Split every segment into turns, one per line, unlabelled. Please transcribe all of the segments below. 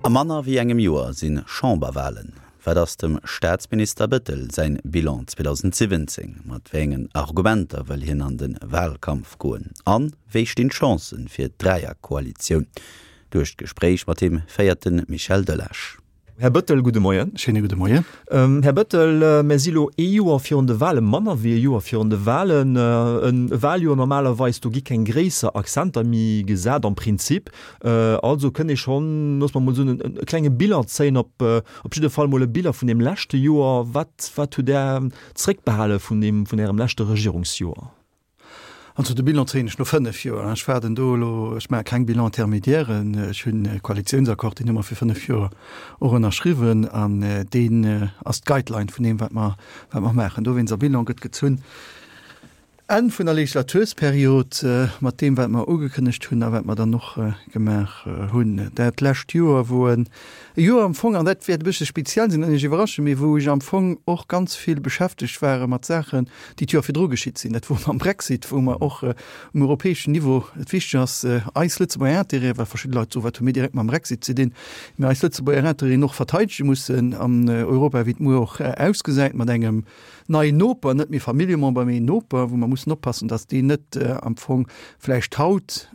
A manner wéi engem Joer si Chamberwalen. Wat ass dem Staatsminister Bettel säin Bilan 2017? Mat wéi engen Argumenter wëll hien an de Walkampf goen? An wéi stinn d'Chancen fir d'Dräierkoalitioun? Duerch d'Gespréich mat him féiert de Michel Delage.
Här Bëttel, gudde Moien.
Schéine gudde Moien.
Här Bëttel, mir si lo ee Joer virun de Wahlen, manner wéi e Joer virun de Wahlen. E Wahljoer normalerweis, do gi keng gréisser Accenter méi gesat am Prinzip. Also kënnt ee schonn, loosse mer mol soen, e klenge Bilan zéien, op op jidde Fall mol e Bilan vun deem leschte Joer. Wat, wat hutt Där zréckbehale vun deem, vun Ärem leschte Regierungsjoer?
Also de Bilan zéien ech no 5 Joer. Ech waarden do elo, ech maache keng Bilan-intermédiairen. Ech hunn e Koalitiounsaccord, deen hu mer fir 5 Joer och ënnerschriwwen an deen ass d'Guideline vun deem, wat mer, wat mer maachen. Dowéinst, a Bilan gëtt gezunn Enn vun der Legislatursperiod mat deem, wat mer ugekënnegt hunn a wat mer dann och gemaach hunn. Dat lescht Joer wor e Joer am Fong, an dat wäert e bëssche speziell sinn an Iech iwwerraschen, mee wou ech am Fong och ganz vill beschäftegt ware mat Saachen, déi d'Joer virdru geschitt sinn. Dat wor mam Brexit, wou mer och um europäeschen Niveau, et wichteg ass, eis Lëtzebuerger Intérêten, well verschidde Leit soen, wat hu mir direkt mam Brexit ze dinn, mä eis Lëtzebuerger Intérêten och verteidege mussen an Europa, wéi et muer och ausgesäit, mat engem neien Noper, net méi Familljemember, mee Noper, wou mer mussen oppassen, dass deen net am Fong vläicht haut,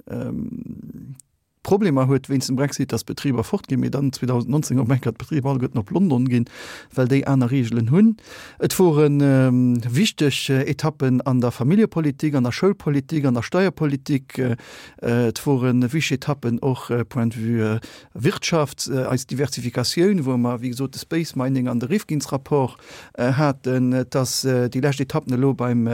Problemer huet wéinst dem Brexit, dass d'Betriber fortginn, mee dann 2019 op eng Kéier d'Betriber alleguerten op London ginn, well déi aner Reegelen hunn. Et wore wichteg Etappen an der Familljepolitik, an der Schoulpolitik, an der Steierpolitik. Et wore wichteg Etappen och point de vue Wirtschaft, eis Diversifikatioun, wou mer, wéi gesot, de Space Mining an de Rifkins-Rapport haten. Et ass déi lescht Etappen elo beim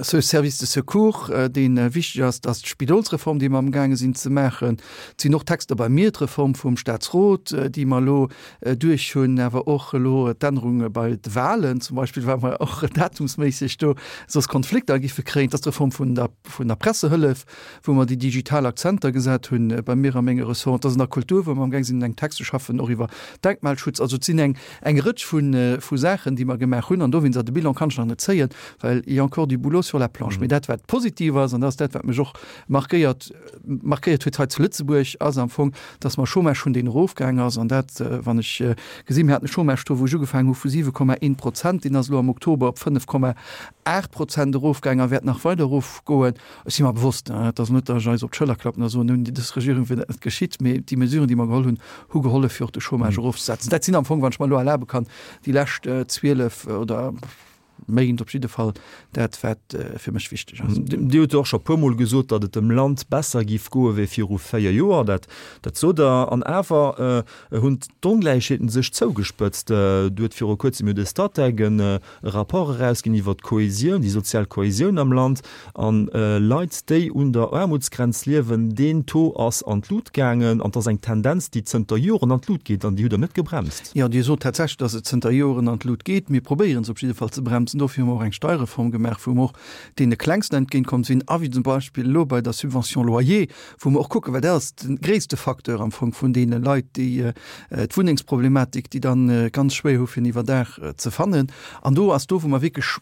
Ce Service de secours, dee wichteg ass, dat ass d'Spidolsreform, déi mer amgaange sinn ze maachen. Et sinn och Texter bei mir, d'Reform vum Statsrot, déi mer elo duerch hunn, awer och elo d'Ännerunge bei de Wahlen zum Beispill, well mer och datumsméisseg do soss Konflikter giffe kréien. Et ass d'Reform vun der, vun der Pressehëllef, wou mer déi digital Akzenter gesat hunn bei mir a menge Ressorten. Et ass an der Kultur, wou mer amgaang sinn, eng Text ze schaffen, och iwwer Denkmalschutz. Also et sinn eng, eng Rëtsch vu, vu Saachen, déi mer gemaach hunn. An dowéinst, a de Bilan kann ech nach net zéien, well il y a encore du boulot sur la planche. Mee dat, wat positiv ass, an dat ass dat, wat mech och markéiert, markéiert huet hei zu Lëtzebuerg, ass am Fong, dass mer Chômage hunn, deen erofgaang ass. An dat, wann ech gesinn, mir haten e Chômage-Taux, wou ech ugefaangen hu vu 7,1 Prozent, deen ass elo am Oktober op 5,8 Prozent erofgaang a wäert nach weider erofgoen. Ech si mer bewosst, et ass net, datt ech eis op d'Schëller klappen a soen, nun, dës Regierung wier dat net geschitt, mee déi Mesuren, déi mer geholl hunn, hu gehollef, fir och de Chômage erofzesetzen. Dat sinn am Fong, wann ech mer elo erlabe kann, déi lescht 12 oder Méint op jidde Fall dat, wat fir mech wichteg ass.
Dir hutt jo och scho puermol gesot, datt et dem Land besser géif goe wéi viru 4 Joer. Dat, dat sot Der. An awer hunn d'Ongläichheeten sech zougespëtzt. Do huet viru kuerzem jo de Statec e Rapport erausginn iwwer d'Kohesioun, déi sozial Kohesioun am Land. An Leit, déi un der Aarmutsgrenz liewen, deen Taux ass an d'Lut gaangen. An et ass eng Tendenz, déi zënter Joren an d'Lut geet an déi hutt Der net gebremst.
Jo, Dir sot tatsächlech, datt et zënter Joren an d'Lut geet. Mir probéieren se op jidde Fall ze bremsen. Dofir hu mer och eng Steierreform gemaach, wou mer och deene Klengsten entgéintkomm sinn a wéi zum Beispill elo bei der Subvention loyer, wou mer och kucken, well dat ass de gréisste Facteur am Fong vun deene Leit, déi d'Wunnengsproblematik, déi dann ganz schwéier hu fir en Iwwerdaach ze fannen. An do ass do, wou mer wierklech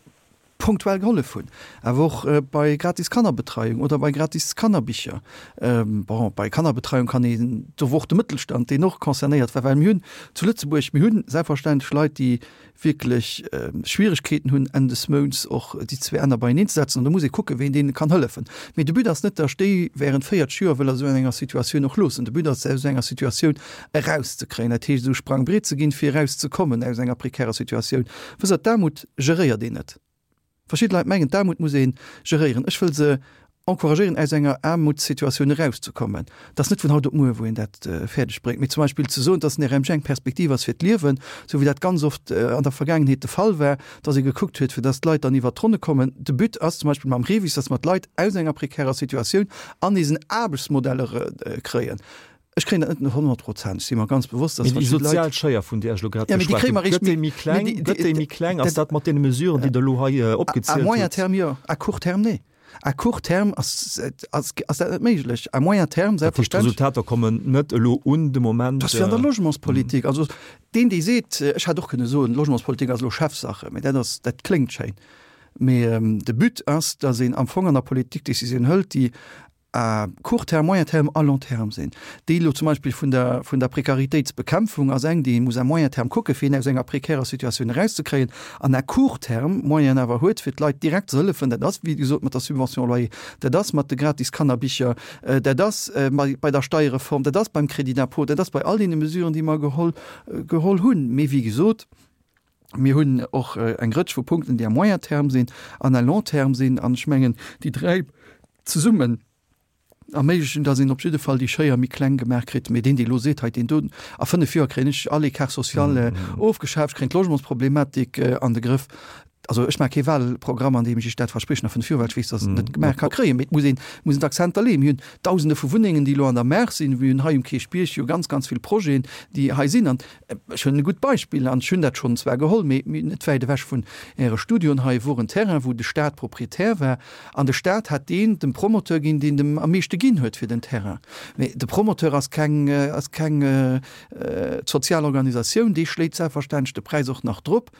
punktuell gehollef hunn, awer och bei gratis Kannerbetreiung oder bei gratis Kannerbicher. Bon, bei Kannerbetreiung kann een, do wor och de Mëttelstand, deen och concernéiert war, well mir hunn zu Lëtzebuerg, mir hunn selbstverständlech Leit, déi wierklech Schwieregkeeten hunn Enn des Mounts och déi zwee Enner beieneen ze setzen an do muss ee kucken, ween deene kann hëllefen. Mee de But ass net, datt ech déi während 40 Joer wëll a sou enger Situatioun och loossen. De But ass, se aus esou enger Situatioun erauszekréien, dat heescht esou Sprangbriet ze ginn, fir erauszekommen aus enger prekärer Situatioun. Wësst Der, d'Aarmut geréiert een net. Verschidde Leit mengen, d'Aarmut muss ee geréieren. Ech wëll se encouragéieren, aus enger Aarmutssituatioun erauszekommen. Dat ass net vun haut op muer, wou een dat fäerdeg bréngt. Mee zum Beispill ze soen, dass den RMG eng Perspektiv ass fir d'Liewen, esou wéi dat ganz oft an der Vergaangenheet de Fall war, dass ee gekuckt huet, fir dass d'Leit dann iwwert d'Ronne kommen. De But ass zum Beispill mam REVIS, dass mer d'Leit aus enger prekärer Situatioun an eisen Aarbechtsmodell kréien. Ech kréien dat net no 100 Prozent, ech si mer ganz bewosst, dass
Mee déi verschidde Leit. sozial Schéier, vun där ech elo grad Ja, mee déi geschwat kréie hunn, mer eréischt gëtt déi méi kleng? Mee déi, Gëtt déi méi kleng? Ass dat mat deene Mesuren, déi Der elo hei À opgezielt
moyen hutt? terme jo, à court terme nee. À court terme ass, ass, ass dat net méiglech. À moyen terme
Dat heescht, selbstverständlech. d'Resultater kommen net elo un de Moment.
Dat ass wéi an der Logementspolitik. Also deen, dee seet, ech hätt och kënne soen, Logementspolitik ass elo Chefsache, mee dat ass, dat kléngt schéin. Mee de But ass, dass een am Fong an der Politik Décisioun hëlt, déi. À court terme, moyen terme a long terme sinn. Déi elo zum Beispill vun der, vun der Prekaritéitsbekämpfung ass eng, déi ee muss à moyen terme kucken, fir een aus enger prekärer Situatioun erauszekréien, an à court terme Moyenen awer huet, fir d'Leit direkt ze hëllefen. Dat ass, wéi gesot, mat der Subvention loyer, dat ass mat de gratis Kannerbicher, dat ass bei der Steierreform, dat ass beim Crédit d'impôt, dat ass bei all deene Mesuren, déi mer geholl, geholl hunn. Mee wéi gesot, Mir hunn och eng Rëtsch vu Punkten, déi à moyen terme sinn an à long terme sinn. An ech mengen, déi dräi zesummen erméiglechen, dass een op jidde Fall déi Schéier méi kleng gemaach kritt. Mee deen, dee elo seet, hei deen do, a fënnf Joer kréien ech all Écart social ofgeschaaft, ech kréien d'Logementsproblematik an de Grëff. Also ech maache kee Wahlprogramm, an deem ech Iech dat verspriechen a fënnf Joer, well ech weess, dass et net gemaach ka kréien. Mee et muss een, muss een d'Akzenter leeën. Mir hunn Dausende vu Wunnengen, déi elo an der Maach sinn. Mir hunn hei um Kierchbierg jo ganz, ganz vill Projeten, déi hei sinn. An Ech hunn e gutt Beispill, an ech hunn dat schonn zwar geholl, mee net wäit ewech vun Äre Studioen hei wor en Terrain, wou de Stat Proprietär war, an de Stat hat deen dem Promoteur ginn, deen dem am meeschte ginn huet fir den Terrain. Mee de Promoteur ass keng, ass keng sozial Organisatioun, dee schléit selbstverständlech de Präis och nach drop.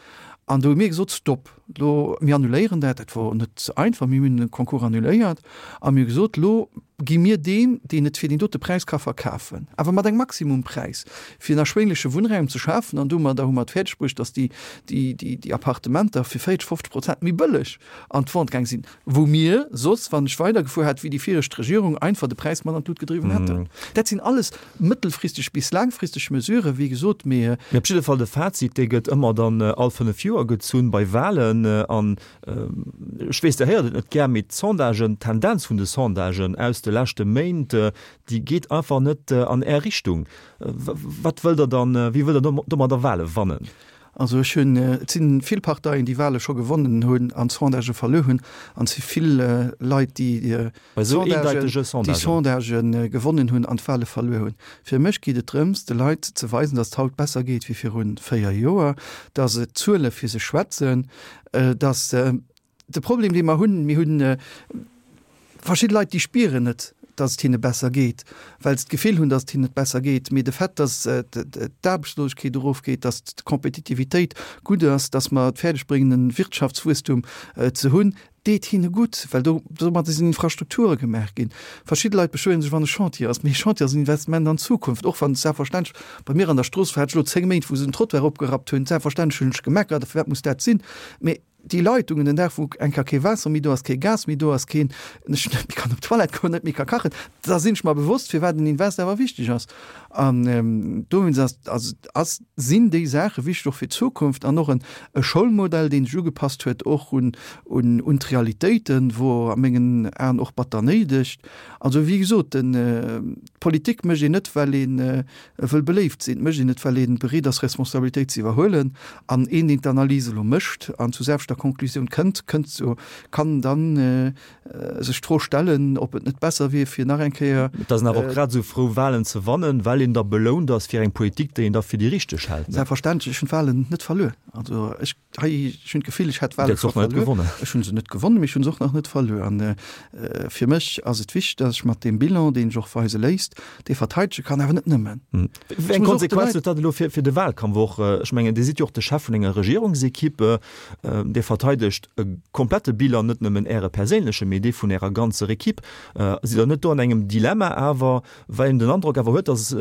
An do hu mir gesot, Stop, lo, mir annuléieren dat. Dat wor net einfach, mir hunn de Concours annuléiert a mir hu gesot, Lo gi mir deem, deen et fir deen dote Präis ka verkafen, awer mat engem Maximumpräis, fir en erschwéngleche Wunnraum ze schafen. An domadder hu mer et fäerdegbruecht, datt déi, déi, déi, déi Appartementer fir 40, 50 Prozent méi bëlleg an d'Vente gaang sinn, wou mir soss, wann ech weidergefuer hätt wéi déi viregt Regierung, einfach de Präis mat an d'Lut gedriwwen hätten. Dat sinn alles mëttelfristeg bis laangfristeg Mesuren, wéi gesot, mee.
Mee op jidde Fall de Fazit, dee gëtt ëmmer dann all fënnef Joer gezunn bei Wahlen. An ech weess, Der héiert et net gär, mee d'Sondagen, d'Tendenz vun de Sondagen aus de leschte Méint, déi geet einfach net an Är Richtung. Wat wëllt Der dann, wéi wëllt Der domadder Wahle wannen?
Also ech hunn, et si vill Parteien, déi Wahle scho gewonnen hunn an d'Sondagë verluer hunn, an et si vill Leit, déi déi Sondagë gewonnen hunn an d'Wahle verluer hunn. Fir mech geet et drëms, de Leit ze weisen, datt et haut besser geet wéi viru 4 Joer, datt d'Zuele fir sech schwätzen, datt De Problem, dee mer hunn, mir hu verschidde Leit, déi spieren net, datt et hinne besser geet, well se d'Gefill hunn, datt et hinnen net besser geet. Mee de Fait, datt d'Aarbechtslosegkeet erofgeet, datt d'Kompetitivitéit gutt ass, datt mer et fäerdeg bréngen, e Wirtschaftswuesstum ze hunn, deet hinne gutt, well do domadder sinn Infrastrukture gemaach ginn. Verschidde Leit beschwéiere sech, wann e Chantier ass. Mee e Chantier ass en Investissement an d'Zukunft, och wann selbstverständlech bei mir an der Strooss war et elo 10 Méint, wou se den Trottoir opgerappt hunn, selbstverständlech hunn ech gemeckert, firwat muss dat sinn? Mee Déi Leitungen, den Dag wou eng Kéier kee Waasser méi do ass, kee Gas méi do ass, keen, ech net méi kann op d'Toilette goen, net méi ka kachen, da sinn ech mer bewosst, firwat en Invest awer wichteg ass. An dowéinst ass, ass, ass, sinn déi Saache wichteg och fir d'Zukunft an och en e Schoulmodell, deen sech ugepasst huet och un, un, un d'Realitéiten, wor a mengen Aen och batter néideg. Also wéi gesot, den, d'Politik mécht een net, well een, E wëll beléift sinn, mécht een et, well ee bereet ass, Responsabilitéit ze iwwerhuelen. An een, deen d'Analys elo mécht an zu selwechter Konklusioun kënnt, kënnt zu, kann dann sech d'Fro stellen, ob et net besser wier, fir nach eng Kéier.
Et ass een awer och grad esou frou, Wahlen ze wannen, well een da belount ass fir eng Politik, déi een da fir déi richteg hält.
Selbstverständlech, ech hunn d'Wahlen net verluer. Also ech. Hei, ech hunn d'Gefill, ech hätt d'Wahle scho verluer. Ech hunn se net gewonnen, mee ech hunn se och nach net verluer. An fir mech ass et wichteg, datt ech mat deem Bilan, deen sech och weise léisst, dee verteidege kann, awer net nëmmen.
Wéi eng Konsequenz huet dat elo fir de Wahlkampf och? Ech mengen, Dir sidd jo och de Chef vun enger Regierungsequipe. Dir verteidegt e komplette Bilan, net nëmmen Äre perséinlechen, mee dee vun Ärer ganzer Equipe. Sidd Der net do an engem Dilemma awer, well een den Androck awer huet, datt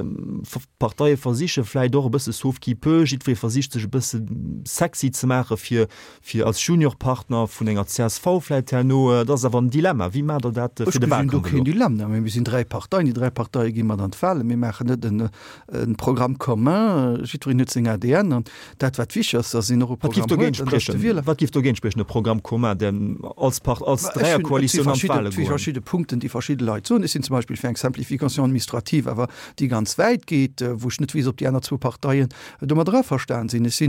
D'Parteie versiche vläit och e bësse sauve qui peut, jiddweree versicht sech e bësse sexy ze maache fir fir als Juniorpartner vun enger csv vläit herno. Et ass awer en Dilemma. Wéi maacht Der dat
fir de Wahlkampf elo? Ech gesinn do keen Dilemma. Mir sinn 3 Parteien, déi 3 Parteie gi mat an d'Wahlen. Mir maachen net en Programme commun. Jiddwereen huet seng ADN an Dat wat wichteg ass, datt een och e Programm huet
an datt de Wieler. Wat géif dogéint spriechen, e Programme commun, deen als Part, als Dräierkoalitioun
an d'Wahle goen? Et si verschidde Punkten, déi verschidde Leit soen. Ech sinn zum Beispill fir eng Simplification administrative, awer déi ganz wäit geet, wou ech net weess, ob déi aner zwou Parteien domadder averstan sinn. Ech si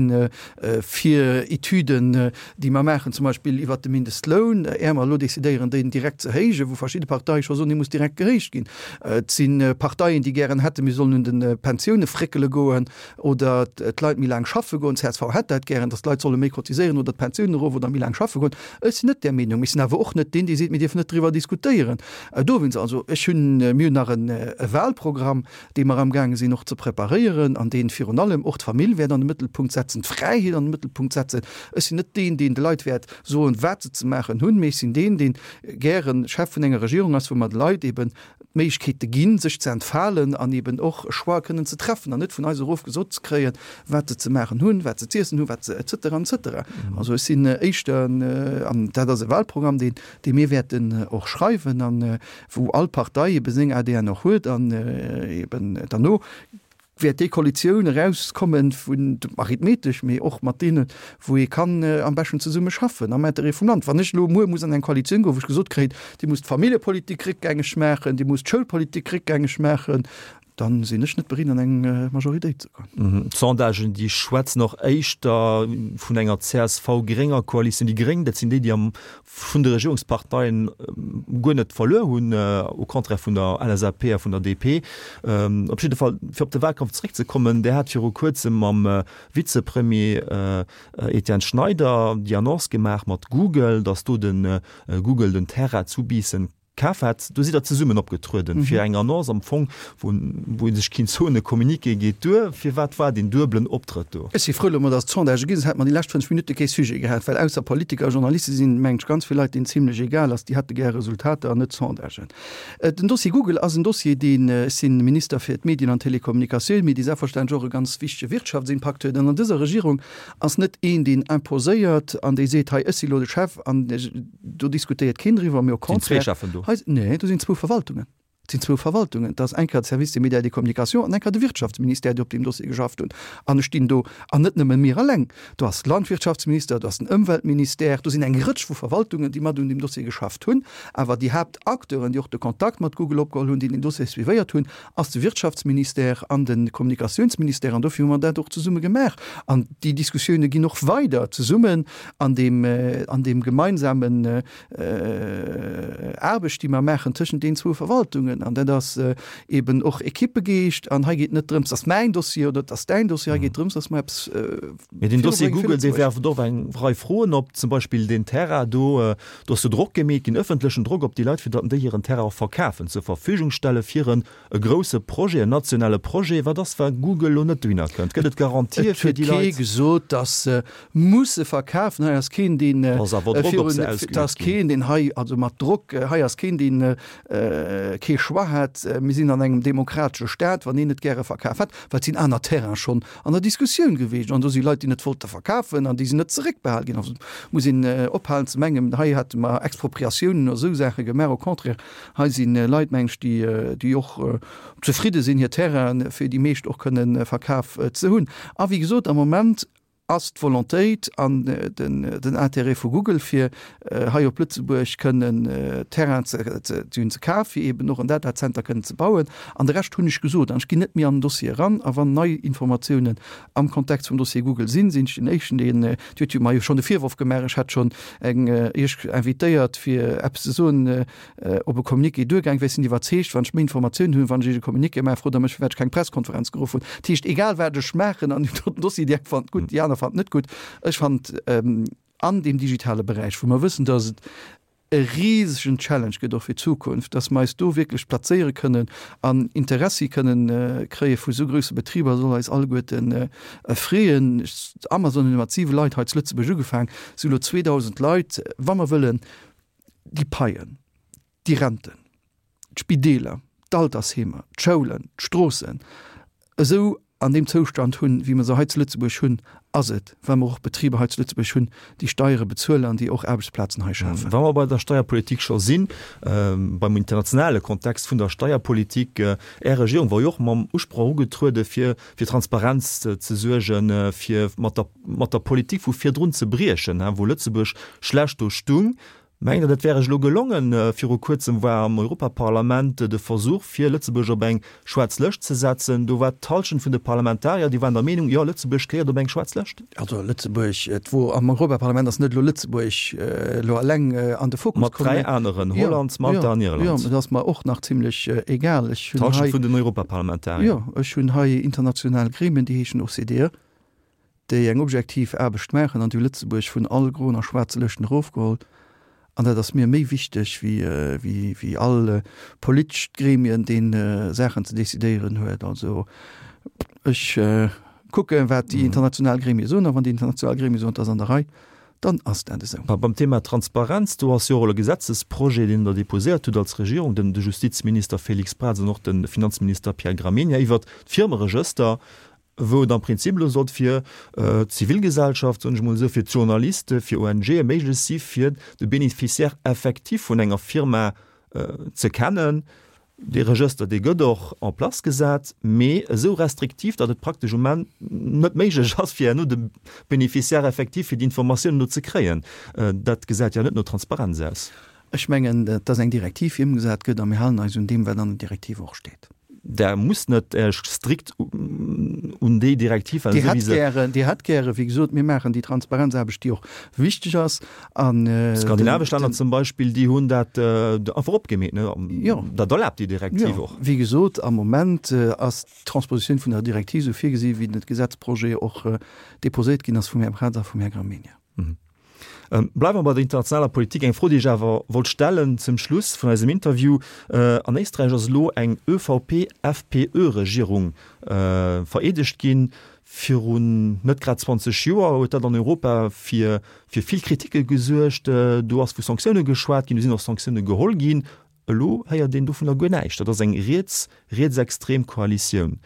fir Etüden, déi mer maachen, zum Beispill iwwert de Mindestloun, är mer elo decidéieren, deen direkt ze héijen, wou verschidde Parteie scho soen, dee muss direkt gehéicht ginn. Et si Parteien, déi gären hätten, mir sollen un de Pensioune fréckele goen. Oder d'Leit méi laang schaffe goen. Csv hätt dat gären, datt d'Leit solle méi cotiséieren oder d'Pensioune. d'Pensiounen erof oder méi laang schaffe goen. Ech sinn net där Meenung. Mee ech sinn awer och net deen, dee seet, mir dierfen net driwwer diskutéieren. Dowéinst also, ech hunn, mir hunn nach e Wahlprogramm, dee mer amgaange sinn och ze preparéieren an dee virun allem och d'Famill wäert an de Mëttelpunkt setzen, d'Fräiheet an de Mëttelpunkt setzen. Ech sinn net deen, deen de Leit wäert soen, wat se ze maachen hunn, mee ech sinn deen, dee gäre Chef vun enger Regierung ass, wou mer de Leit eben d'Méiglechkeete ginn, sech ze entfalen an eben och e Choix kënnen ze treffen an net vun eis erof gesot ze kréien, wat se ze maachen hunn, wat se z'iessen hunn, wat se et cetera, et cetera. Also ech sinn éischter, an dat ass e Wahlprogramm, deen, dee mir wäerten och schreiwen an wou all Partei ebe seng ADN och huet an eben derno wäert déi Koalitioun erauskommen vun, arithmetesch, mee och mat deenen, wou ee kann am beschten zesumme schaffen am Intérêt vum Land. Wann ech elo muer muss an eng Koalitioun goen, wou ech gesot kréien, Dir musst d'Familljepolitik réckgängeg maachen, Dir musst d'Schoulpolitik réckgängeg maachen, dann sinn ech net bereet an eng Majoritéit ze goen.
D'Sondagen, déi schwätzen och éischter vun enger CSV-grénger Koalitioun. Déi Gréng, dat sinn déi, déi am vun de Regierungsparteien guer net verluer hunn, au contraire vun der LSAP a vun der DP. Op jidde Fall, fir op de Wahlkampf zeréckzekommen, Där hat viru Kuerzem mam Vizepremier Etienne Schneider déi Annonce gemaach mat Google, datt do de Google den Terrain zu Biissen kaf hat. Do sidd Der zesummen opgetrueden fir eng Annonce am Fong, wou wou ee sech kinnt soen, e Communiqué geet duer. Firwat war deen duebelen Optrëtt do?
Ech si frou elo mol, datt et Sondagë ginn, soss hätte mer déi lescht 5 Minutte kee Sujet gehat, well ausser Politiker a Journaliste sinn, mengen ech, ganz vill Leit, deenen et zimlech egal ass. Déi hätte gär Resultater an net Sondagen. Den Dossier Google ass en Dossier, deen, ech si Minister fir d'Medien an d'Telekommunikatioun, mee dee selbstverständlech och e ganz wichtege Wirtschaftsimpakt huet. An an dëser Regierung ass net een, deen imposéiert an dee seet, hei, ech si lo de Chef an Do diskutéiert keen driwwer, mee au
Sinn zwee contraire, Cheffen do?
hei, nee, do sinn zwou Verwaltungen. Et sinn zwou Verwaltungen. Et ass eng Kéier de Service des médias et des communications an eng Kéier de Wirtschaftsministère, déi op deem Dossier geschafft hunn. An ech stinn do, an net nëmme mir eleng, do ass de Landwirtschaftsminister, do ass den Ëmweltministère, do sinn eng Rëtsch vu Verwaltungen, déi mat un deem Dossier geschafft hunn. Awer déi Haaptacteuren, déi och de Kontakt mat Google opgeholl hunn, déi den Dossier suivéiert hunn, ass de Wirtschaftsministère an de Kommunikatiounsministère. An dofir hu mer dat och zesumme gemaach. An déi Diskussioune ginn och weider zesummen an deem, an deem gemeinsamen Aarbecht, déi mer maachen tëschent deenen zwou Verwaltungen. An dat ass eben och Equippegeescht. An hei geet net drëms, dass mäin Dossier oder dass däin Dossier, hei geet drëms, dass mer eppes
Mee den Dossier Google, dee werft och eng Rei Froen op, zum Beispill deen Terrain do, do ass jo Drock gemeet ginn, ëffentlechen Drock op déi Leit, fir datt déi hiren Terrain och verkafen, zur Verfügung stelle fir en E grousse Projet, en nationale Projet, wat ass, wa Google elo net dohinner kënnt? Gëtt et Garantië
fir déi Leit? Et huet kee gesot, datt se musse verkafen. Hei ass keen, deen virun, et ass keen, deen hei, also mat Drock, hei ass keen, deen kee Choix hat. Mir sinn an engem demokratesche Staat, wann een net gäre verkaf hätt, well et sinn aner Terraine schonn an der Diskussioun gewiescht an do si Leit, déi net wollte verkafen an déi sinn net zeréckbehal ginn. Also muss een ophalen ze mengen, hei hätte mer Expropriatiounen oder esou Saache gemaach. Au contraire, Hei si Leit, meng ech, déi och zefridde sinn, hir Terrainen fir déi meescht och kënne verkaf ze hunn. A wéi gesot, am Moment ass d'Volontéit an den Intérêt vu Google, fir hei op Lëtzebuerg kënnen Terrainen ze kafen, fir eeben och en Datacenter kënnen ze bauen. An de Rescht hunn ech gesot. An ech ginn net méi an den Dossier eran. A wann nei Informatiounen am Kontext vum Dossier Google sinn, sinn ech den Éischten, deen, Dir hutt jo mer jo schonn de Virworf gemaach, ech hätt schonn eng Iech invitéiert, fir eppes ze soen, op e Communiqué duergaang wär. Ech sinn iwwerzeegt, wann ech méi Informatiounen hunn, wann ech Iech e Communiqué maachen, frot Der mech, firwat ech keng Presskonferenz geruff hunn. Dat heescht, egal wat ech maachen an deem doten Dossier, déi eng fannen et gutt, déi aner fannen et net gutt. Ech fand an deem digitale Beräich, wou mer wëssen, dass et e risegen Challenge gëtt och fir d'Zukunft, dass mer eis do wierklech plazéiere kënnen an Interessi kënnen kréie vu esou grousse Betriber, soll eis alleguerten freeën. Amazon huet mat siwe Leit hei zu Lëtzebuerg ugefaang, si hu elo 2.000 Leit. Wa mer wëllen déi Paien, déi Renten, d'Spideeler, d'Altersheemer, d'Schoulen, d'Stroossen esou an deem Zoustand hunn, wéi mer se hei zu Lëtzebuerg hunn, ass et, well mer och Betriber hei zu Lëtzebuerg hunn, déi Steiere bezuelen an déi och Aarbechtsplazen hei schafen.
Wa mer bei der Steierpolitik scho sinn, beim internationale Kontext vun der Steierpolitik, Är Regierung war jo och mam Usproch ugetruede fir fir Transparenz ze suergen, fir mat der mat der Politik vu virdrun ze briechen, wou Lëtzebuerg schlecht do stung. Mengt Der, dat wär Iech elo gelongen? Viru Kuerzem war am Europaparlament de Versuch, fir Lëtzebuerg op eng schwaarz Lëscht ze setzen. Do war d'Hallschent vun de Parlamentarier, déi waren der Meenung, jo, Lëtzebuerg gehéiert op eng schwaarz Lëscht.
Also Lëtzebuerg, et wor am Europaparlament ass net elo Lëtzebuerg elo eleng an de Fokus
komm. Mat 3 aneren, Holland, Malta an Irland.
Jo, dat ass mer och nach zimlech egal.
Ech hunn hei. D'Hallschent vun den Europaparlamentarier.
Jo, ech hunn hei international Gremien, déi heeschen OCDE. déi eng objektiv Aarbecht maachen an déi hu Lëtzebuerg vun all groen a schwaarze Lëschten erofgeholl. An dat ass mir méi wichteg wéi, wéi all politescht Gremien, deen Saachen ze decidéieren huet. Also ech kucken, wat déi international Gremie soen, a wann déi international Gremie soen, et ass an der Rei, dann ass dat esou.
Beim Thema Transparenz, do ass jo och elo e Gesetzesprojet, deen Der deposéiert hutt als Regierung, den de Justizminister Félix Braz an och de Finanzminister Pierre Gramegna, iwwert d'Firmeregëster, wou et am Prinzip elo sollt fir d'Zivilgesellschaft, soen ech emol esou, fir d'Journaliste, fir ONGe méiglech si fir de Bénéficiaire effectif vun enger Firma ze kennen. Dee Regëster, dee gëtt och en place gesat, mee esou restriktiv, datt et praktesch um Enn net méiglech ass, fir herno de Bénéficiaire effectif, fir déi Informatiounen do ze kréien. Dat gesäit jo net no Transparenz aus.
Ech mengen, et ass eng Direktiv, déi ëmgesat gëtt, a mir halen eis un deem, wat an der Direktiv och steet.
Der musst net Iech strikt un déi Direktiv
halen, esou wéi se. Dir hätt gären, wéi gesot, mir maachen déi Transparenzaarbecht, déi och wichteg ass.
An. Skandinavesch Länner zum Beispill, déi hunn dat einfach opgemeet, ne? Jo. Dat erlaabt déi Direktiv och.
Jo, wéi gesot, am Moment ass d'Transpositioun vun der Direktiv esou virgesi wéi den Gesetzprojet och déposéiert ginn ass vum Här Braz a vum Här Gramegna.
Bleiwe mer bei der internationaler Politik. Eng Fro, déi ech awer wollt stellen zum Schluss vun eisem Interview, An Éisträich ass elo eng ÖVP-FPÖ-Regierung vereedegt ginn. Virun net grad 20 Joer huet dat an Europa fir vill Kritike gesuergt. Do ass vu Sanktioune geschwat ginn, do sinn och Sanktioune geholl ginn. Elo héiert een dovunner guer näischt. Dat ass eng riets-rietsextrem Koalitioun.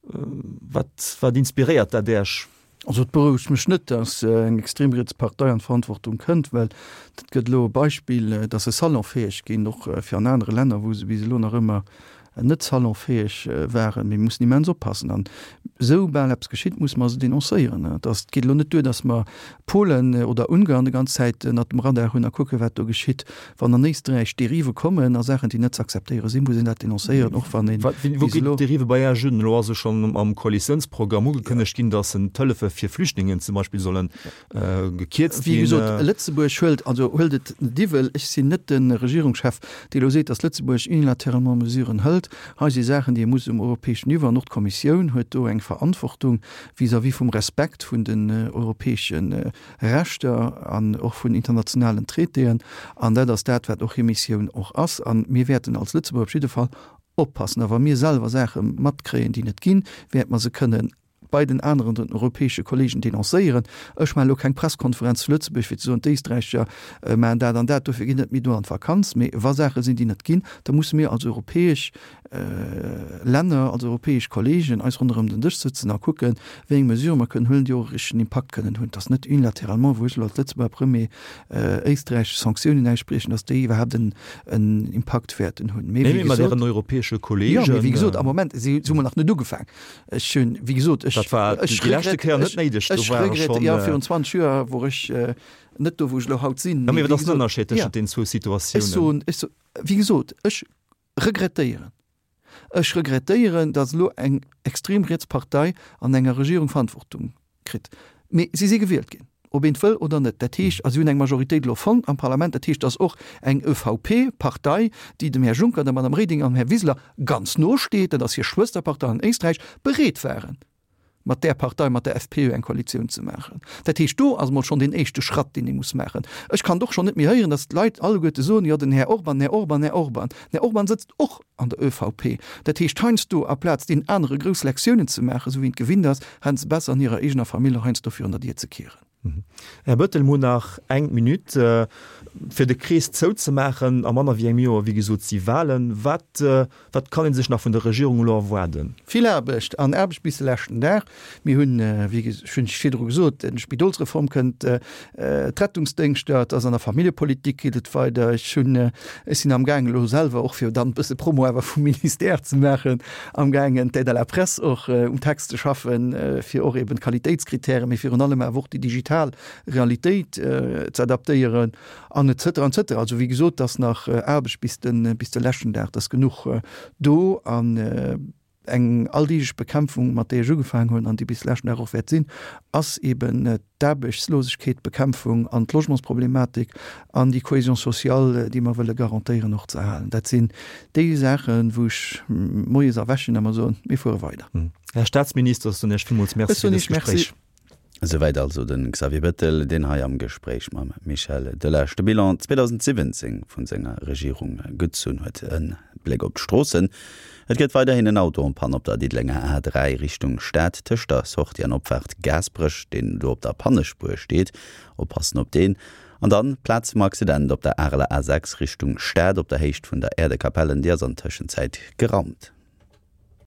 Wat, wat inspiréiert dat Äech?
Also et berouegt mech net, datt eng extrem riets Partei an d'Verantwortung kënnt, well dat gëtt elo e Beispill, datt se salonfäeg ginn, och fir an anere Länner, wou se bis elo nach ëmmer net salonfäeg waren. Mir mussen immens oppassen an esoubal eppes geschitt, musse mer se denoncéieren. Et ass, et geet elo net duer, datt mer Polen oder Ungarn déi ganz Zäit ënnert dem Radar hunn a kucken, wat do geschitt. Wann an Éisträich Derive kommen a Saachen, déi net ze akzeptéiere sinn, muss een dat denoncéieren, och wann een
Wou ginn d'Derive bei Iech un? Elo ass jo schonn am Koalitiounsprogramm ugekënnegt ginn, datt d'Hëllefe fir Flüchtlingen zum Beispill solle gekierzt
ginn. Wéi gesot, Lëtzebuerg huelt, also huelt et net iwwel, ech sinn net de Regierungschef, dee elo seet, datt Lëtzebuerg unilatéralement Mesuren hëlt. Hei si Saachen, déi ee muss um europäeschen Niveau, an och d'Kommissioun huet do eng Verantwortung vis-à-vis vum Respekt vun den europäesche Rechter an och vun internationalen Traitéen. An dat ass dat, wat och hir Missioun och ass. A mir wäerten als Lëtzebuerger op jidde Fall oppassen. A wa mir selwer Saache matkréien, déi net ginn, wäerte mer se kënnen bei den aneren, den europäesche Kollegen denoncéieren. Ech maachen elo keng Presskonferenz zu Lëtzebuerg, fir ze soen, d'Éisträicher maachen dat an dat, dofir ginn net méi do an d'Vakanz. Mee wa Saache sinn, déi net ginn, da musse mir als europäesch Länner, als europäesch Kollegen eis ronderëm den Dësch sëtzen a kucken, wéi eng Mesurë mer kënnen huelen, déi och e richtegen Impakt kënnen hunn. Et ass net unilatéralement, wou ech elo als Lëtzebuerger Premier Éisträich Sanktiounen ausspriechen, datt déi iwwerhaapt en Impakt wäerten hunn.
Mee wéi gesot, mat Ären europäesche Kollegen.
Jo, mee wéi gesot, am Moment si hu mer nach net ugefaang. Ech hunn, wéi gesot, ech.
Dat war déi leschte Kéier net néideg,
do war e schonn. Jo, virun 20 Joer wor ech net do, wou ech elo haut sinn.
Jo, mee wat ass den Ënnerscheed tëschent deenen zwou Situatiounen?
Ech soen, ech soen, wéi gesot, ech regrettéieren, ech regrettéieren, datt elo eng extrem riets Partei an enger Regierung Verantwortung kritt. Mee si si gewielt ginn, ob een et wëll oder net. Dat heescht, a si hunn eng Majoritéit elo fonnt am Parlament, dat heescht, datt och eng ÖVP-Partei, déi dem Här Juncker, der Madame Reding an dem Här Wiseler ganz no steet, dat ass hir Schwësterpartei an Éisträich, bereet waren, mat där Partei, mat der FPÖ eng Koalitioun ze maachen. Dat heescht, do ass emol schonn deen éischte Schratt, deen ee muss maachen. Ech kann et och schonn net méi héieren, datt d'Leit alleguerte soen, jo den Här Orban, den Här Orban, den Här Orban. Den Här Orban sëtzt och an der ÖVP. Dat heescht, heiansdo, aplaz deenen anere grouss Lektiounen ze maachen, esou wéi een et gewinnt ass, hätte se besser an hirer eegener Famill och heiansdo virun der Dier ze kieren.
Här Bettel, mir hunn nach eng Minutt, fir de Krees zouzemaachen. A manner wéi engem Joer, wéi gesot, si Wahlen. Wat, wat kann ee sech nach vun der Regierung elo erwaarden?
Vill Aarbecht an Aarbecht bis de leschten Dag. Mir hunn, wéi ech hunn virdru gesot, d'Spidolsreform kënnt, d'Rettungsdéngschter, et ass an der Familljepolitik geet et weider. Ech hunn, ech sinn amgaangen elo selwer och, fir dann e bësse Promo awer vum Ministère ze maachen, amgaangen d'Aide à la presse och um Text ze schaffen, fir och eben d'Qualitéitskritären, mee virun allem awer och déi digital Realitéit ze adaptéieren an et cetera, et cetera. Also wéi gesot, et ass nach Aarbecht bis de, bis de leschten Dag, et ass genuch do an eng alldeeglech Bekämpfung, mat där ech ugefaangen hunn an déi bis leschten Dag och wäert sinn, ass eben d'Aarbechtslosegkeet, d'Bekämpfung an d'Logementsproblematik an déi Cohésion sociale, déi mer wëlle garantéieren, och ze erhalen. Dat sinn déi Saachen, wou ech moies erwächen a mer soen, mir fuere weider.
Här Staatsminister, ech soen Iech villmools Merci fir dëst Gespréich.
Esouwäit also de Xavier Bettel, deen hei am Gespréich mam Michel Delage de Bilan 2017 vun senger Regierung gezunn huet. E Bléck op d'Stroossen, Et gëtt weiderhin en Auto en panne op der Diddelenger A3 Richtung Stad tëscht der Sortie an Opfaart Gaasperech, deen do op der Pannespuer steet. Oppassen op deen. An dann d'Plaz vum Accident op der Areler A6 Richtung Stad op der Héicht vun der Äerdekapellen, déi ass an Tëschenzäit geraumt.